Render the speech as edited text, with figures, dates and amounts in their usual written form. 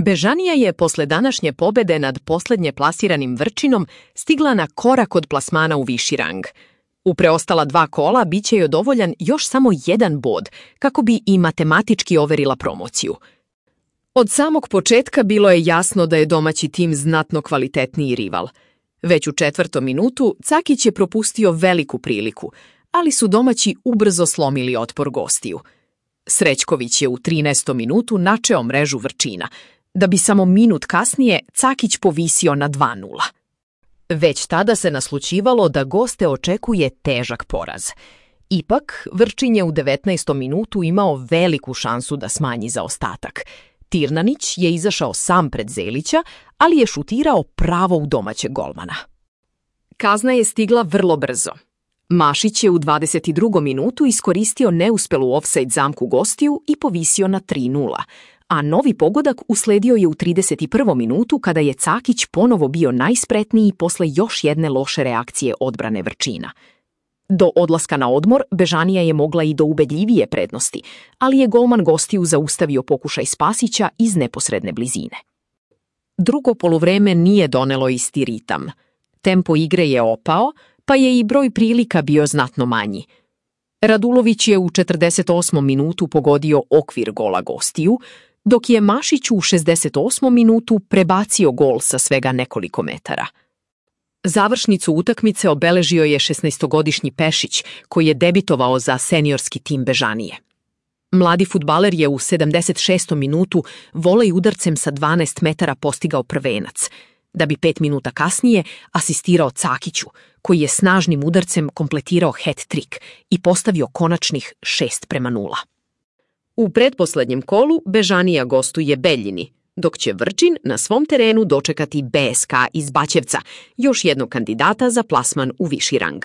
Bežanija je posle današnje pobede nad poslednje plasiranim Vrčinom stigla na korak od plasmana u viši rang. U preostala 2 kola biće joj dovoljan još samo 1 bod kako bi i matematički overila promociju. Od samog početka bilo je jasno da je domaći tim znatno kvalitetniji rival. Već u 4. minutu Cakić je propustio veliku priliku, ali su domaći ubrzo slomili otpor gostiju. Srećković je u 13. minutu načeo mrežu Vrčina, da bi samo minut kasnije Cakić povisio na 2:0. Već tada se naslućivalo da goste očekuje težak poraz. Ipak, Vrčin je u 19. minutu imao veliku šansu da smanji zaostatak. Tirnanić je izašao sam pred Zelića, ali je šutirao pravo u domaćeg golmana. Kazna je stigla vrlo brzo. Mašić je u 22. minutu iskoristio neuspelu ofsajd zamku gostiju i povisio na 3:0, a novi pogodak usledio je u 31. minutu kada je Cakić ponovo bio najspretniji posle još jedne loše reakcije odbrane Vrčina. Do odlaska na odmor Bežanija je mogla i do ubedljivije prednosti, ali je golman gostiju zaustavio pokušaj Spasića iz neposredne blizine. Drugo poluvreme nije donelo isti ritam. Tempo igre je opao, pa je i broj prilika bio znatno manji. Radulović je u 48. minutu pogodio okvir gola gostiju, dok je Mašić u 68. minutu prebacio gol sa svega nekoliko metara. Završnicu utakmice obeležio je 16-godišnji Pešić, koji je debitovao za seniorski tim Bežanije. Mladi fudbaler je u 76. minutu volej udarcem sa 12 metara postigao prvenac, da bi 5 minuta kasnije asistirao Cakiću, koji je snažnim udarcem kompletirao hat-trik i postavio konačnih 6:0. U pretposlednjem kolu Bežanija gostuje Beljini, dok će Vrčin na svom terenu dočekati BSK iz Baćevca, još jednog kandidata za plasman u viši rang.